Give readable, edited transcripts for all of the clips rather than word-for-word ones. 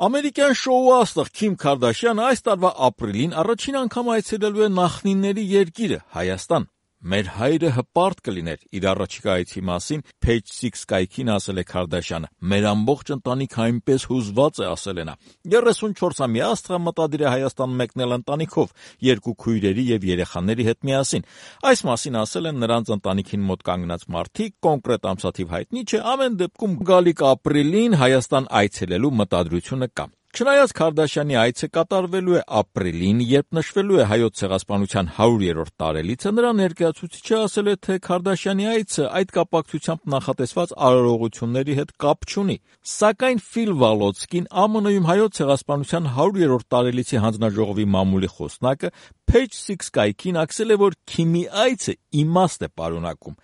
Ամերիկյան շոու աստղ Քիմ Քարդաշյանը այս տարվա ապրիլին առաջին անգամ այցելելու է նախնիների երկիրը՝ Հայաստան։ Մեր հայրը հպարտ կլիներ իր առաջիկա այցի մասին Page Six կայքին ասել է Քարդաշյանը։ Մեր ամբողջ ընտանիքը այնպես հուզված է, ասել է նա։ 34-ամյա աստղը մտադիր է Հայաստան մեկնել ընտանիքով, 2 քույրերի եւ երեխաների հետ միասին։ Այս մասին ասել են նրանց ընտանիքին մոտ կանգնած մարդիկ, կոնկրետ ամսաթիվ հայտնի չէ, ամեն դեպքում գալիք ապրիլին Հայաստան այցելելու մտադրությունը կա։ Չնայած Քարդաշյանի այցը կատարվելու է ապրիլին, երբ նշվելու է Հայոց ցեղասպանության 100-րդ տարելիցը, նրա ներկայացուցիչը ասել է, թե Քարդաշյանի այցը այդ կապակցությամբ նախատեսված արարողությունների հետ կապ չունի։ Սակայն Ֆիլ Վալոցկին, ԱՄՆ-ում Հայոց ցեղասպանության 100-րդ տարելիցի հանձնաժողովի մամուլի խոսնակը, Page Six կայքին ասել է, որ Քիմի այցը իմաստ է պարունակում։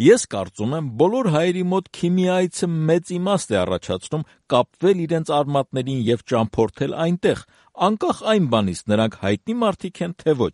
Ես կարծում եմ, բոլոր հայերի մոտ Քիմի այցը մեծ իմաստ է առաջացնում կապվել իրենց արմատներին եւ ճամփորդել այնտեղ, անկախ այն բանից նրանք հայտնի մարդիկ են թե ոչ,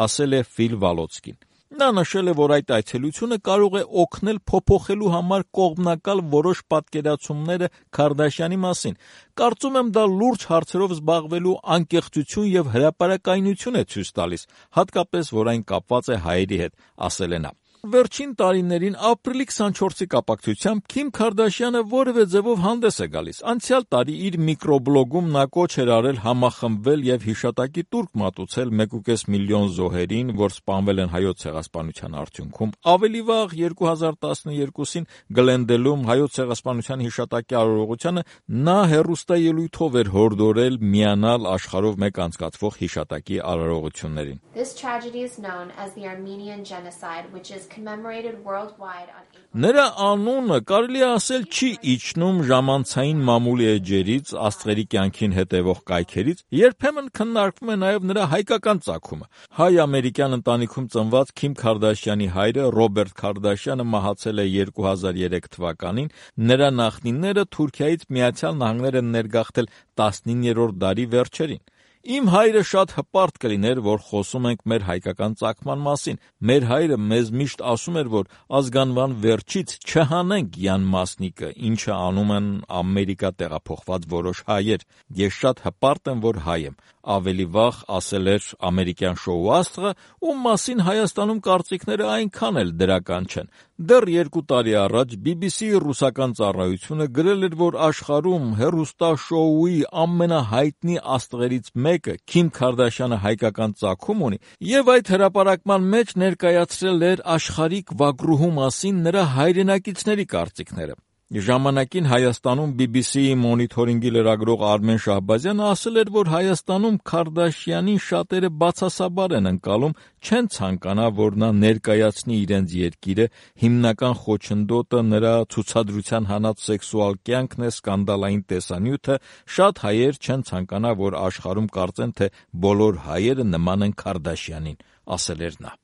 ասել է Ֆիլ Վալոցկին։ Նա նշել է, որ այդ այցելությունը կարող է օգնել փոփոխելու համար կողմնակալ որոշ պատկերացումները Քարդաշյանի մասին։ Կարծում եմ, դա լուրջ հարցերով զբաղվելու անկեղծություն եւ հրապարակայնություն է ցույց տալիս, հատկապես որ այն կապված է հայերի հետ, ասել է նա։ Վերջին տարիներին ապրիլի 24-ի կապակցությամբ Քիմ Քարդաշյանը որևէ ձևով հանդես է գալիս։ Անցյալ տարի իր միկրոբլոգում նա կոչ էր արել համախմբվել եւ հիշատակի տուրք մատուցել 1.5 միլիոն զոհերին, որ սպանվել են Հայոց ցեղասպանության արդյունքում։ Ավելի վաղ 2012-ին Գլենդելում Հայոց ցեղասպանության հիշատակի արարողությանը նա հեռուստաելույթով էր հորդորել միանալ աշխարհով մեկ անցկացվող հիշատակի արարողություններին։ This tragedy is known as the Armenian genocide, which is commemorated worldwide on Նրա անունը կարելի է ասել չի իջնում ժամանցային մամուլի էջերից, աստղերի կյանքին հետևող կայքերից, երբեմն քննարկվում է նաև նրա հայկական ծագումը։ Հայ-ամերիկյան ընտանիքում ծնված Քիմ Քարդաշյանի հայրը Ռոբերտ Քարդաշյանը մահացել է 2003 թվականին, նրա նախնիները Թուրքիայից Միացյալ Նահանգներ են ներգաղթել 19-րդ դարի վերջերին։ Իմ հայրը շատ հպարտ կլիներ, որ խոսում ենք մեր հայկական ծագման մասին։ Մեր հայրը մեզ միշտ ասում էր, որ ազգանվան վերջից չհանենք Յան Մասնիկը, ինչը անում են Ամերիկա տեղափոխված որոշ հայեր։ Ես շատ հպարտ եմ, որ հայ եմ։ Ավելի վաղ ասել էր ամերիկյան շոու աստղը, ում մասին Հայաստանում կարծիքները այնքան էլ դրական չեն։ Դեռ 2 տարի առաջ BBC-ի ռուսական ծառայությունը գրել էր, որ աշխարհում հեռուստաշոուի ամենահայտնի աստղերից մեկը Քիմ Քարդաշյանը հայկական ծագում ունի, եւ այդ հրապարակման մեջ ներկայացրել էր աշխարհիկ վագրուհու մասին նրա հայրենակիցների կարծիքները։ Ժամանակին Հայաստանում BBC-ի մոնիթորինգի լրագրող Արմեն Շահբազյանը ասել էր, որ Հայաստանում Քարդաշյանին շատերը բացասաբար են ընկալում, չեն ցանկանա, որ նա ներկայացնի իրենց երկիրը, հիմնական խոչընդոտը նրա ցուցադրության հանած սեքսուալ կյանքն է, սկանդալային տեսանյութը, շատ հայեր չեն ցանկանա, որ աշխարհում կարծեն, թե բոլոր հայերը նման են Քարդաշյանին, ասել էր նա։